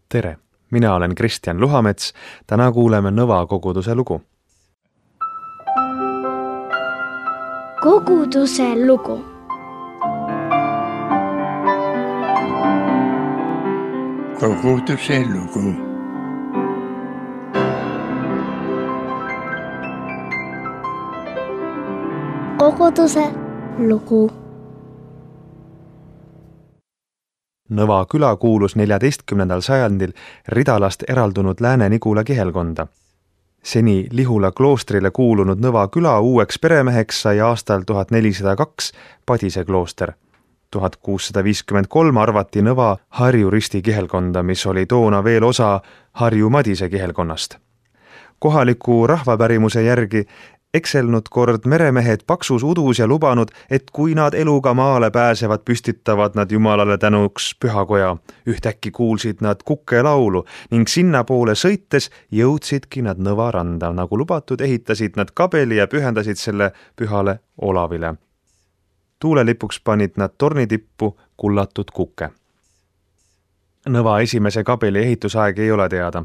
Tere, mina olen Kristjan Luhamets, täna kuuleme Nõva koguduse lugu. Koguduse lugu. Koguduse lugu. Koguduse lugu. Nõva küla kuulus 14. sajandil Ridalast eraldunud Lääne-Nigula kihelkonda. Seni Lihula kloostrile kuulunud Nõva küla uueks peremeheks sai aastal 1402 Padise klooster. 1653 arvati Nõva Harju Risti kihelkonda, mis oli toona veel osa Harju Madise kihelkonnast. Kohaliku rahvapärimuse järgi ekselnud kord meremehed paksus udus ja lubanud, et kui nad eluga maale pääsevad, püstitavad nad Jumalale tänuks pühakoja. Ühtäkki kuulsid nad kukelaulu ning sinnapoole sõites jõudsidki nad Nõva randa. Nagu lubatud, ehitasid nad kabeli ja pühendasid selle pühale Olavile. Tuulelipuks panid nad tornitippu kullatud kuke. Nõva esimese kabeli ehitusaeg ei ole teada.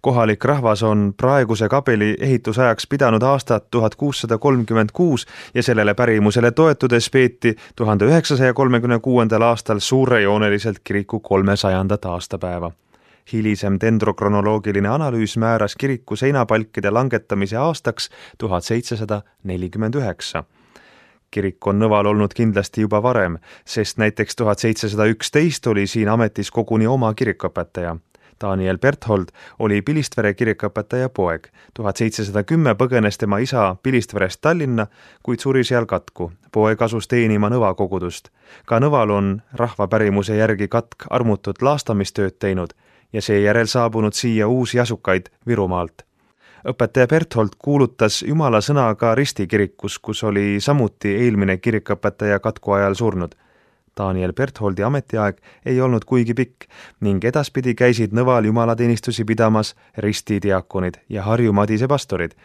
Kohalik rahvas on praeguse kabeli ehitusajaks pidanud aastat 1636 ja sellele pärimusele toetudes peeti 1936. aastal suurejooneliselt kiriku 300. aastapäeva. Hilisem dendrokronoloogiline analüüs määras kiriku seinapalkide langetamise aastaks 1749. Kirik on Nõval olnud kindlasti juba varem, sest näiteks 1711 oli siin ametis koguni oma kirikuõpetaja. Daniel Berthold oli Pilistvere kirikuõpetaja poeg. 1710 põgenes tema isa Pilistverest Tallinna, kuid suri seal katku. Poeg asus teenima Nõva kogudust. Ka Nõval on rahvapärimuse järgi katk armutut laastamistööd teinud ja seejärel saabunud siia uusi asukaid Virumaalt. Õpetaja Berthold kuulutas Jumala sõna ka Risti kirikus, kus oli samuti eelmine kirikuõpetaja katku ajal surnud. Daniel Bertholdi ametiaeg ei olnud kuigi pikk ning edaspidi käisid Nõval jumalateenistusi pidamas Risti diakonid ja Harju Madise pastorid.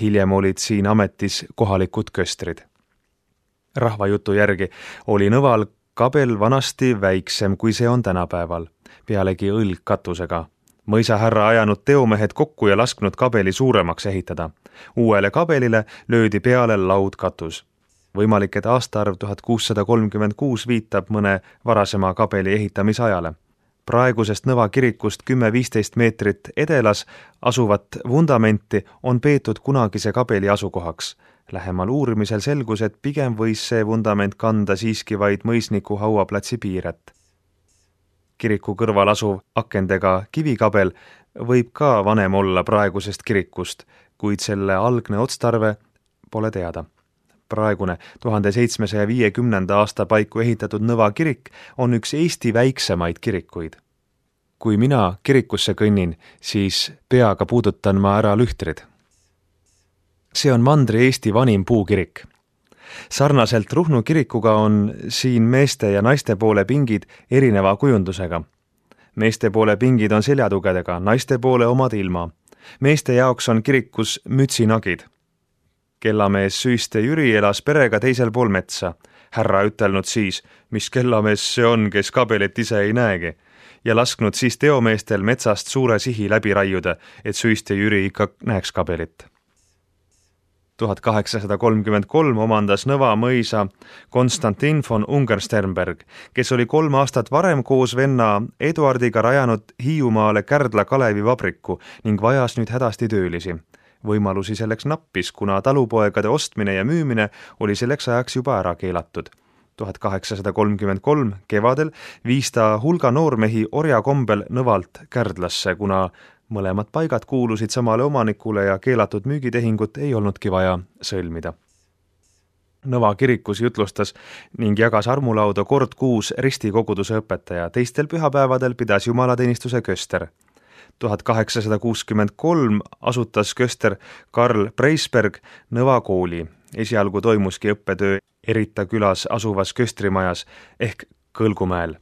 Hiljem olid siin ametis kohalikud köstrid. Rahvajutu järgi oli Nõval kabel vanasti väiksem, kui see on tänapäeval, pealegi õlgkatusega. Mõisahärra ajanud teomehed kokku ja lasknud kabeli suuremaks ehitada. Uuele kabelile löödi peale laudkatus. Võimalik, et aastaarv 1636 viitab mõne varasema kabeli ehitamisajale. Praegusest Nõva kirikust 10-15 meetrit edelas asuvat vundamenti on peetud kunagise kabeli asukohaks. Lähemal uurimisel selgus, et pigem võis see vundament kanda siiski vaid mõisniku hauaplatsi piiret. Kiriku kõrval asuv akendega kivikabel võib ka vanem olla praegusest kirikust, kuid selle algne otstarve pole teada. Praegune 1750. aasta paiku ehitatud Nõva kirik on üks Eesti väiksemaid kirikuid. Kui mina kirikusse kõnnin, siis peaga puudutan ma ära lühtrid. See on Mandri-Eesti vanim puukirik. Sarnaselt Ruhnu kirikuga on siin meeste ja naiste poole pingid erineva kujundusega. Meeste poole pingid on seljatugedega, naiste poole omad ilma. Meeste jaoks on kirikus mütsinagid. Kellamees Süiste Jüri elas perega teisel pool metsa. Härra ütelnud siis, mis kellamees see on, kes kabelit ise ei näegi, ja lasknud siis teomeestel metsast suure sihi läbi raiuda, et Süiste Jüri ikka näeks kabelit. 1833 omandas Nõva mõisa Konstantin von Ungersternberg, kes oli 3 aastat varem koos venna Eduardiga rajanud Hiiumaale Kärdla Kalevivabriku ning vajas nüüd hädasti töölisi. Võimalusi selleks nappis, kuna talupoegade ostmine ja müümine oli selleks ajaks juba ära keelatud. 1833 kevadel viis ta hulga noormehi orjakombel Nõvalt Kärdlasse, kuna mõlemad paigad kuulusid samale omanikule ja keelatud müügitehingut ei olnudki vaja sõlmida. Nõva kirikus jutlustas ning jagas armulauda kord kuus Risti koguduse õpetaja, teistel pühapäevadel pidas jumalateenistuse köster. 1863 asutas köster Karl Preisberg Nõva kooli. Esialgu toimuski õppetöö Erita külas asuvas köstrimajas ehk Kõlgumäel.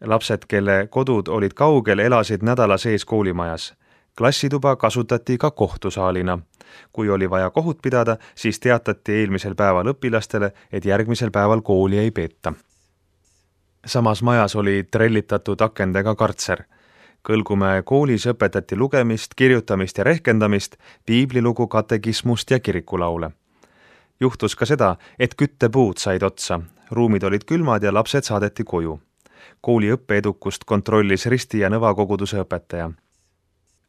Lapsed, kelle kodud olid kaugel, elasid nädala sees koolimajas. Klassituba kasutati ka kohtusaalina. Kui oli vaja kohut pidada, siis teatati eelmisel päeval õpilastele, et järgmisel päeval kooli ei peeta. Samas majas oli trellitatud akendega kartser. Kõlgumäe koolis õpetati lugemist, kirjutamist ja rehkendamist, piiblilugu, katekismust ja kirikulaule. Juhtus ka seda, et küttepuud said otsa, ruumid olid külmad ja lapsed saadeti koju. Kooli õppeedukust kontrollis Risti ja Nõva koguduse õpetaja.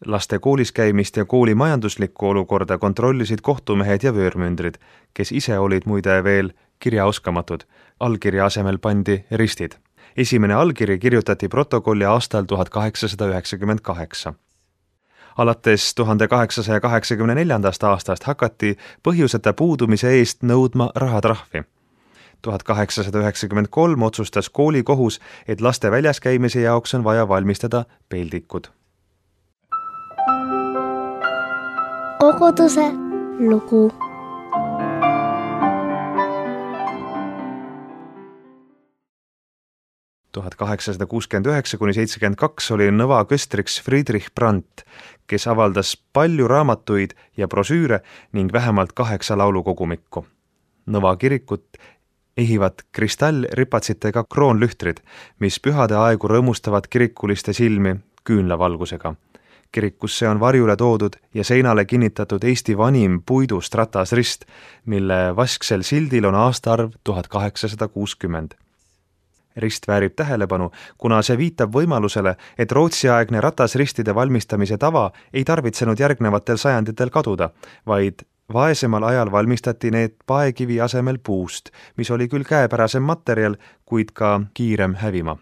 Laste koolis käimist ja kooli majanduslikku olukorda kontrollisid kohtumehed ja vöörmündrid, kes ise olid muide veel kirjaoskamatud. Allkirja asemel pandi ristid. Esimene allkiri kirjutati protokolli aastal 1898. Alates 1884. aastast hakati põhjuseta puudumise eest nõudma rahatrahvi. 1893 otsustas koolikohus, et laste väljas käimise jaoks on vaja valmistada peldikud. Koguduse lugu. Tuhat 1869–72 oli Nõva köstriks Friedrich Brandt, kes avaldas palju raamatuid ja brosüüre ning vähemalt 8 laulukogumikku. Nõva kirikut ehivad kristallripatsitega kroonlühtrid, mis pühade aegu rõõmustavad kirikuliste silmi küünlavalgusega. Kirikusse on varjule toodud ja seinale kinnitatud Eesti vanim puidust ratasrist, mille vasksel sildil on aastaarv 1860. Rist väärib tähelepanu, kuna see viitab võimalusele, et Rootsi-aegne ratasristide valmistamise tava ei tarvitsenud järgnevatel sajanditel kaduda, vaid vaesemal ajal valmistati need paekivi asemel puust, mis oli küll käepärasem materjal, kuid ka kiirem hävima.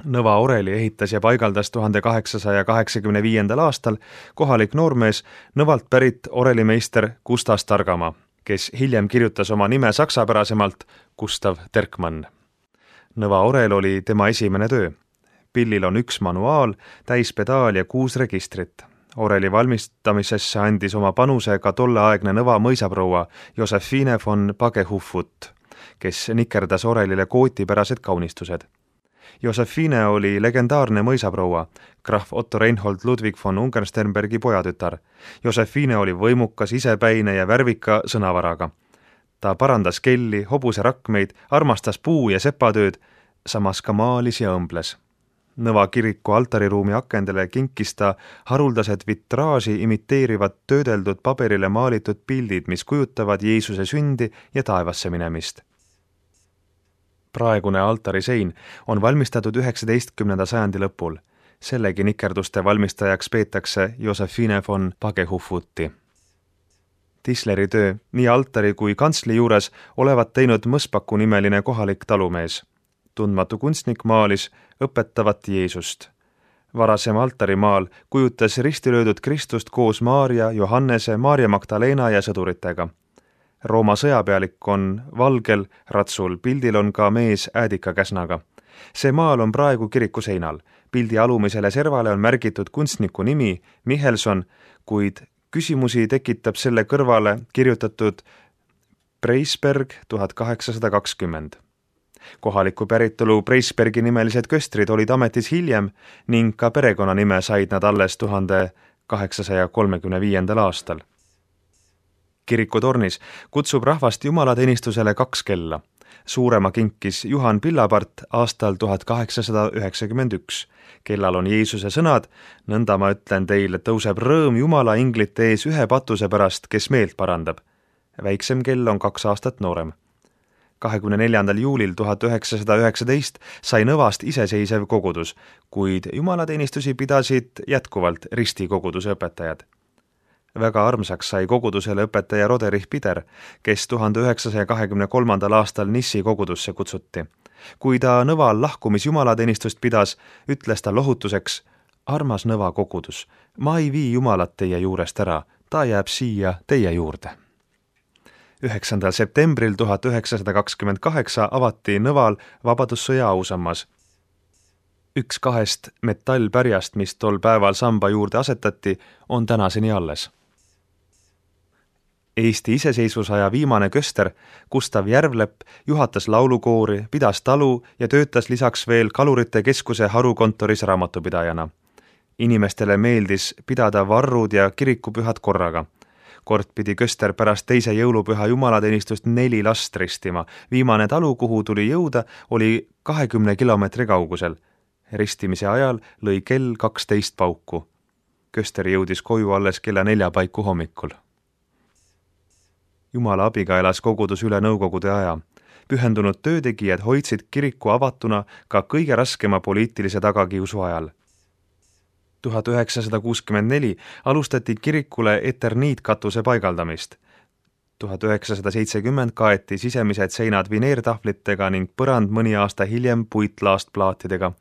Nõva oreli ehitas ja paigaldas 1885. aastal kohalik noormees Nõvalt pärit orelimeister Gustav Targamaa, kes hiljem kirjutas oma nime saksapärasemalt Gustav Terkmann. Nõva orel oli tema esimene töö. Pillil on 1 manuaal, täispedaal ja 6 registrit. Oreli valmistamisesse andis oma panuse ka tolleaegne Nõva mõisaproua Josephine von Pagehufvud, kes nikerdas orelile kootipärased kaunistused. Josephine oli legendaarne mõisaproua, krahv Otto Reinhold Ludwig von Ungernsternbergi pojatütar. Josephine oli võimukas, isepäine ja värvika sõnavaraga. Ta parandas kelli, hobuse rakmeid, armastas puu- ja sepatööd, samas ka maalis ja õmbles. Nõva kiriku altariruumi akendele kinkis ta haruldased vitraaži imiteerivad töödeldud paberile maalitud pildid, mis kujutavad Jeesuse sündi ja taevasse minemist. Praegune altarisein on valmistatud 19. sajandi lõpul. Sellegi nikerduste valmistajaks peetakse Josephine von Pagehufvuti. Tisleri töö nii altari kui kantsli juures olevat teinud Mõspaku nimeline kohalik talumees. Tundmatu kunstnik maalis õpetavat Jeesust. Varasem altarimaal kujutas ristilöödud Kristust koos Maarja, Johannese, Maarja Magdalena ja sõduritega. Rooma sõjapealik on valgel ratsul, pildil on ka mees äädikakäsnaga. See maal on praegu kiriku seinal. Pildi alumisele servale on märgitud kunstniku nimi Michelson, kuid küsimusi tekitab selle kõrvale kirjutatud Preisberg 1820. Kohaliku päritolu Preisbergi nimelised köstrid olid ametis hiljem ning ka perekonnanime said nad alles 1835. aastal. Kirikutornis kutsub rahvast jumalateenistusele 2 kella. Suurema kinkis Juhan Pillapart aastal 1891. Kellal on Jeesuse sõnad, nõnda ma ütlen teile, tõuseb rõõm Jumala inglite ees 1 patuse pärast, kes meelt parandab. Väiksem kell on 2 aastat noorem. 24. juulil 1919 sai Nõvast iseseisev kogudus, kuid jumalateenistusi pidasid jätkuvalt Risti koguduse õpetajad. Väga armsaks sai kogudusele õpetaja Roderich Pider, kes 1923. aastal Nissi kogudusse kutsuti. Kui ta Nõval lahkumis jumalateenistust pidas, ütles ta lohutuseks: armas Nõva kogudus, ma ei vii Jumalat teie juurest ära, ta jääb siia teie juurde. 9. septembril 1928 avati Nõval Vabadussõja ausammas. 1 2 metallpärjast, mis tol päeval samba juurde asetati, on tänaseni alles. Eesti iseseisvusaja viimane köster Gustav Järvlepp juhatas laulukoori, pidas talu ja töötas lisaks veel Kalurite Keskuse harukontoris raamatupidajana. Inimestele meeldis pidada varrud ja kirikupühad korraga. Kord pidi köster pärast 2. jõulupüha jumalateenistust 4 last ristima. Viimane talu, kuhu tuli jõuda, oli 20 kilomeetri kaugusel. Ristimise ajal lõi kell 12 pauku. Köster jõudis koju alles kella 4 paiku hommikul. Jumala abiga elas kogudus üle nõukogude aja. Pühendunud töötegijad hoidsid kiriku avatuna ka kõige raskema poliitilise tagakiusu ajal. 1964 alustati kirikule eterniitkatuse paigaldamist. 1970 kaeti sisemised seinad vineertahvlitega ning põrand mõni aasta hiljem puitlaastplaatidega.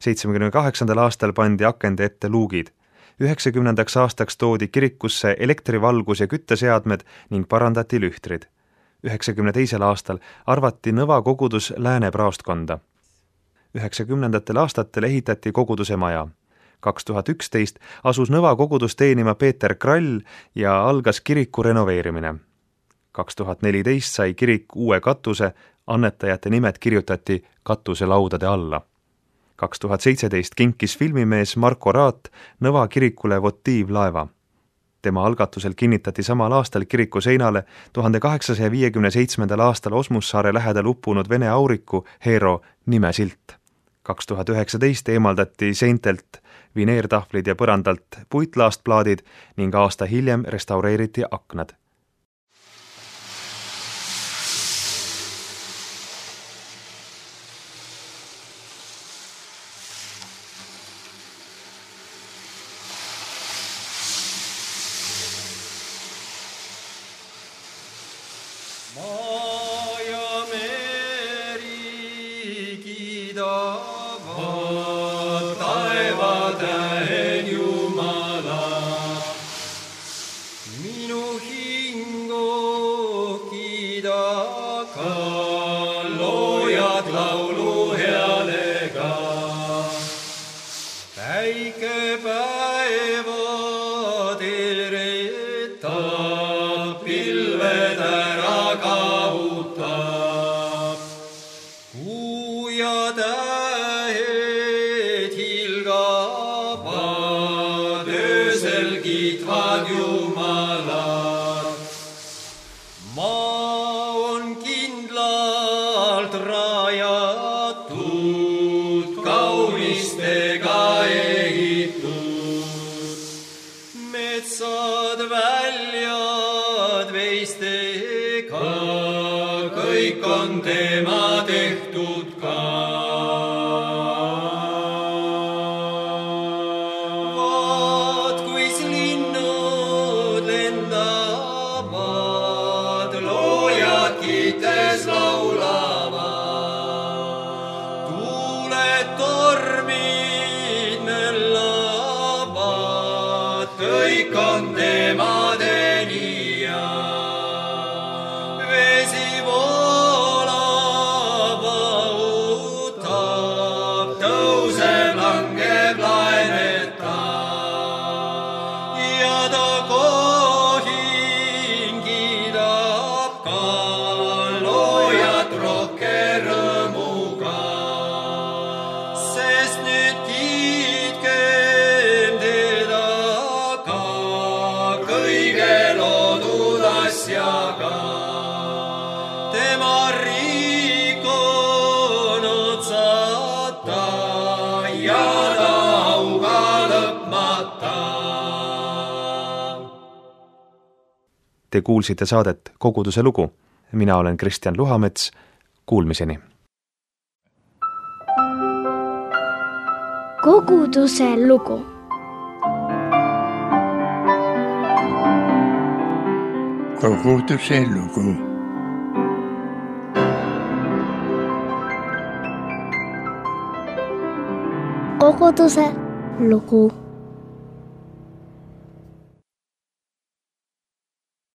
78. aastal pandi akende ette luugid. 90. aastaks toodi kirikusse elektrivalgus ja kütteseadmed ning parandati lühtrid. 92. aastal arvati Nõva kogudus lääne praostkonda. 90. aastatel ehitati koguduse maja. 2011 asus Nõva kogudus teenima Peeter Krall ja algas kiriku renoveerimine. 2014 sai kirik uue katuse, annetajate nimed kirjutati katuselaudade alla. 2017 kinkis filmimees Marko Raat Nõva kirikule votiivlaeva. Tema algatusel kinnitati samal aastal kiriku seinale 1857. aastal Osmussaare lähedal uppunud Vene auriku Hero nimesilt. 2019 eemaldati seintelt vineertahvlid ja põrandalt puitlaastplaadid ning aasta hiljem restaureeriti aknad. Kõik on tema tehtud ka. Vaat kuis linnud lendavad, loojad kiites laulavad. Tuuled tormid möllavad, kõik on tema tenija. Vesi voolab, autab, tõuseb, langeb, laenetab. Ja ta kohin kiidab ka loojat rohke rõõmuga. Sest nüüd kiitkem teda ka kõige loodud asjaga. Tema riik on otsata ja ta auga lõpmata. Te kuulsite saadet Koguduse lugu. Mina olen Kristjan Luhamets. Kuulmiseni. Koguduse lugu. Koguduse lugu. Koguduse lugu.